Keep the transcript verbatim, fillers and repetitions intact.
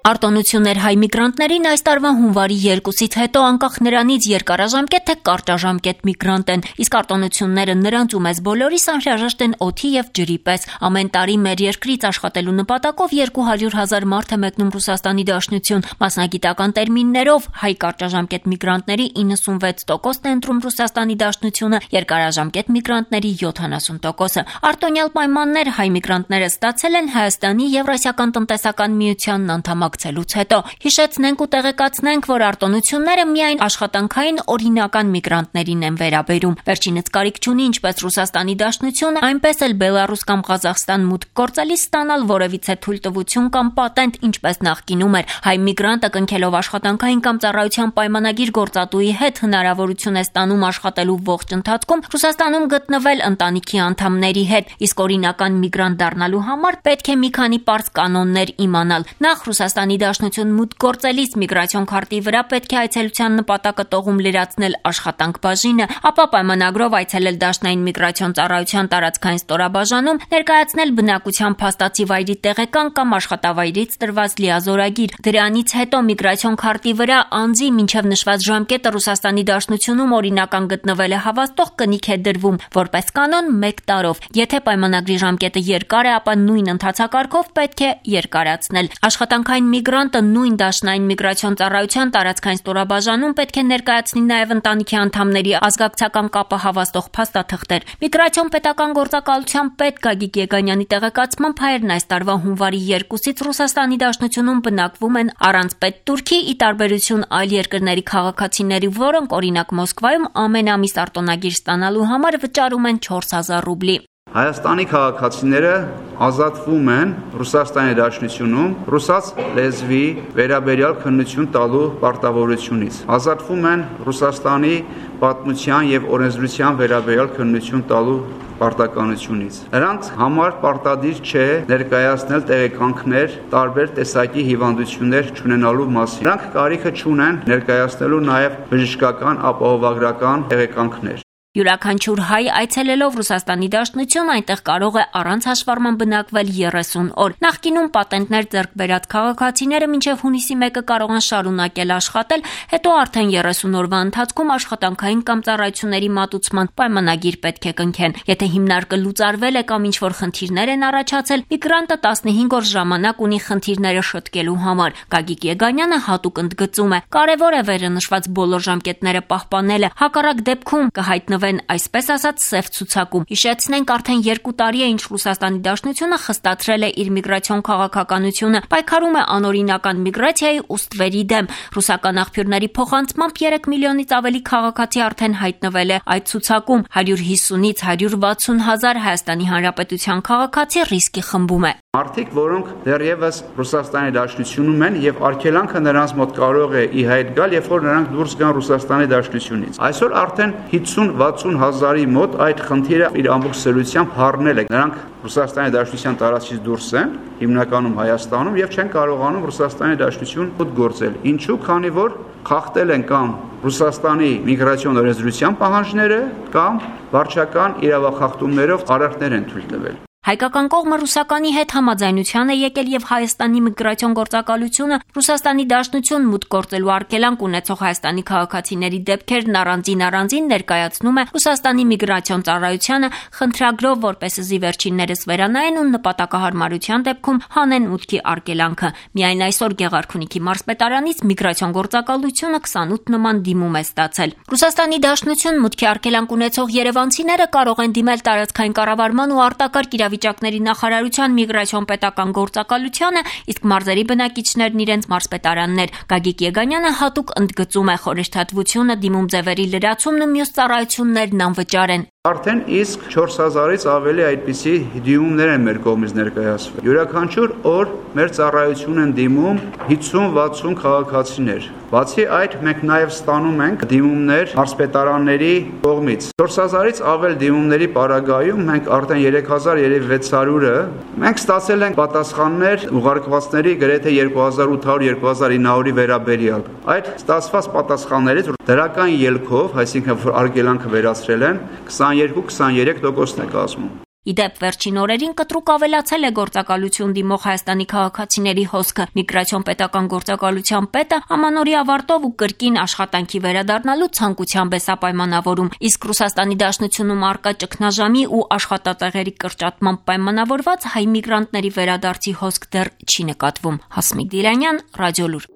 Արտոնություններ հայ միգրանտներին այս տարվա հունվարի երկուսից հետո անկախ նրանից երկարաժամկետ թե կարճաժամկետ միգրանտ են, իսկ արտոնությունները նրանց ու մեզ բոլորիս անհրաժեշտ են օդի եւ ջրի պես։ Ամեն տարի մեր երկրից աշխատելու նպատակով երկու հարյուր հազար մարդ է մեկնում Ռուսաստանի Դաշնություն։ Մասնագիտական տերմիններով հայ կարճաժամկետ միգրանտների իննսունվեց տոկոսն է ընտրում Ռուսաստանի Դաշնությունը, երկարաժամկետ միգրանտների յոթանասուն տոկոսը։ Արտոնյալ պայմաններ հայ միգրանտները ստացել են Հայաստանի Եվրասիական տնտեսական միությանն անդամակցելուց հետո։ Հիշեցնենք ու տեղեկացնենք, որ արտոնությունները միայն աշխատանքային օրինական միգրանտներին են վերաբերում։ Վերջինս կարիք չունի ինչպես Ռուսաստանի Դաշնությունը, այնպես էլ Բելարուս կամ Ղազախստան մուտք գործելիս ստանալ որևիցե թույլտվություն կամ պատենտ, ինչպես նախկինում էր։ Հայ միգրանտը կնքելով աշխատանքային կամ ծառայության պայմանագիր գործատուի հետ հնարավորություն է ստանում աշխատելու ողջ ընթացքում Ռուսաստանում գտնվել ընտանիքի անդամների հետ, իսկ օրինական միգրանտ դառնալու համար պետք է մի քանի պարզ կանոններ իմանալ։ Նախ Ռուսաստանի Դաշնություն մուտք գործելիս միգրացիոն քարտի վրա պետք է այցելության նպատակը տողում լրացնել աշխատանք բաժինը, ապա պայմանագրով այցելել Դաշնային միգրացիոն ծառայության տարածքային ստորաբաժանում, ներկայացնել բնակության փաստացի վայրի տեղեկան կամ աշխատավայրից տրված լիազորագիր։ Դրանից հետո միգրացիոն քարտի վրա անձի մինչև նշված ժամկետը Ռուսաստանի Դաշնությունում օրինական գտնվել է հավաստող կնիք է դրվում, որպես կանոն մեկ տարով։ Եթե պայմանագրի ժամկետը երկար է, ապա նույն ընթացակարգով պետք է երկարացնել։ Աշխատանքային միգրանտը նույն Դաշնային միգրացիոն ծառայության տարածքային ստորաբաժանում պետք է ներկայացնի նաև ընտանիքի անդամների ազգակցական կապը հավաստող փաստաթղթեր։ Միգրացիոն պետական գործակալության պետ Գագիկ Եգանյանի տեղեկացմամբ հայերն այս տարվա հունվարի երկուսից Ռուսաստանի Դաշնությունում բնակվում են առանց պետտուրքի, ի տարբերություն այլ երկրների քաղաքացիների, որոնք օրինակ Մոսկվայում ամեն ամիս արտոնագիր ստանալու համար վճարում են չորս հազար ռուբլի։ Հայաստանի քաղաքացիները ազատվում են Ռուսաստանի Դաշնությունում ռուսաց լեզվի վերաբերյալ քննություն տալու պարտավորությունից։ Ազատվում են Ռուսաստանի պատմության եւ օրենսդրության վերաբերյալ քննություն տալու պարտականությունից։ Նրանց համար պարտադիր չէ ներկայացնել տեղեկանքներ տարբեր տեսակի հիվանդություններ չունենալու մասին։ Նրանք կարիքը չունեն ներկայացնելու նաեւ բժշկական ապահովագրական տեղեկանքներ։ Յուրաքանչյուր հայ այցելելով Ռուսաստանի Դաշնություն այնտեղ կարող է առանց հաշվառման բնակվել երեսուն օր։ Նախկինում պատենտներ ձեռք բերած քաղաքացիները մինչև հունիսի մեկը կարող են շարունակել աշխատել, հետո արդեն երեսուն օրվա ընթացքում աշխատանքային կամ ծառայությունների մատուցման պայմանագիր պետք է կնքեն։ Եթե հիմնարկը լուծարվել է կամ ինչ-որ խնդիրներ են առաջացել, միգրանտը տասնհինգ օր ժամանակ ունի խնդիրները շտկելու համար։ Գագիկ Եգանյանը հատուկ ընդգծում է. կարևոր է վերը նշված բոլոր ժամկետները պահպանելը, հակառակ դեպքում կհայտնվի այսպես ասած սև ցուցակում։ Հիշեցնենք, արդեն երկու տարի է ինչ Ռուսաստանի Դաշնությունը խստացրել է իր միգրացիոն քաղաքականությունը, պայքարում է անօրինական միգրացիայի ու ստվերի դեմ։ Ռուսական աղբյուրների փոխանցմամբ երեք միլիոնից ավելի քաղաքացի արդեն հայտնվել է այդ ցուցակում, հարյուր հիսունից հարյուր վաթսուն հազար Հայաստանի Հանրապետության քաղաքացի ռիսկի խմբում է։ Մարդիկ, որոնք դեռևս Ռուսաստանի Դաշնությունում են եւ արգելանքը նրանց մոտ կարող է ի հայտ գալ, երբ որ նրանք դուրս գան Ռուսաստանի Դաշնությունից։ Այսօր արդեն հիսուն վաթսուն հազարի մոտ այդ խնդիրը իր ամբողջ սերությամբ հառնել է։ Նրանք Ռուսաստանի Դաշնության տարածքից դուրս են, հիմնականում Հայաստանում, եւ չեն կարողանում Ռուսաստանի Դաշնություն մոտ գործել։ Ինչու՞, քանի որ խախտել են կամ Ռուսաստանի միգրացիոն օրենսդրության պահանջները կամ վարչական իրավախախտումներով արարքներ են թույլ տվել։ Հայկական կողմը ռուսականի հետ համաձայնության է եկել եւ Հայաստանի միգրացիոն գործակալությունը Ռուսաստանի Դաշնություն մուտք գործելու արգելանք ունեցող Հայաստանի քաղաքացիների դեպքերն առանձին-առանձին ներկայացնում է Ռուսաստանի միգրացիոն ծառայությանը խնդրագրով, որպեսզի վերջիններս վերանայեն ու նպատակահարմարության դեպքում հանեն մուտքի արգելանքը։ Միայն այսօր Գեղարքունիքի մարզպետարանից միգրացիոն գործակալությունը քսանութ նման դիմում է ստացել։ Ռուսաստանի Դաշնություն մուտքի արգելանք ունեցող երևանցիները կարող են դիմել տարածքային կառավարման ու արտակարգ իրավիճակների նախարարության միգրացիոն պետական գործակալությանը, իսկ մարզերի բնակիչներն իրենց մարզպետարաններ։ Գագիկ Եգանյանը հատուկ ընդգծում է խորհրդատվությունը, դիմում ձևերի լրացումն ու մյուս ծառայություններն անվճար են։ Արդեն իսկ չորս հազարից ավելի այդպիսի դիմումներ են մեր կողմից ներկայացվել։ Յուրաքանչյուր օր մեր ծառայություն են դիմում հիսուն վաթսուն քաղաքացիներ։ Բացի այդ, մենք նաև ստանում ենք դիմումներ մարզպետարանների կողմից։ չորս հազարից ավել դիմումների պարագայում մենք արդեն երեք հազար վեց հարյուրը մենք ստացել ենք պատասխաններ ուղարկվածների գրեթե երկու հազար ութ հարյուր երկու հազար ինը հարյուրի վերաբերյալ։ Այդ ստացված պատասխաններից դրական ելքով, այսինքն որ արգելանքը վերացրել են, քսաներկու քսաներեք տոկոսն է կազմում։ Իդեպ վերջին օրերին կտրուկ ավելացել է գործակալություն դիմող Հայաստանի քաղաքացիների հոսքը։ Միգրացիոն պետական գործակալության պետը ամանորի ավարտով ու կրկին աշխատանքի վերադառնալու ցանկությամբ է սա պայմանավորում, իսկ Ռուսաստանի Դաշնությունում առկա ճգնաժամի ու աշխատատեղերի կրճատման պայմանավորված հայ միգրանտների վերադարձի հոսք դեռ չի նկատվում։ Հասմիկ Դիլանյան, Ռադիոլուր։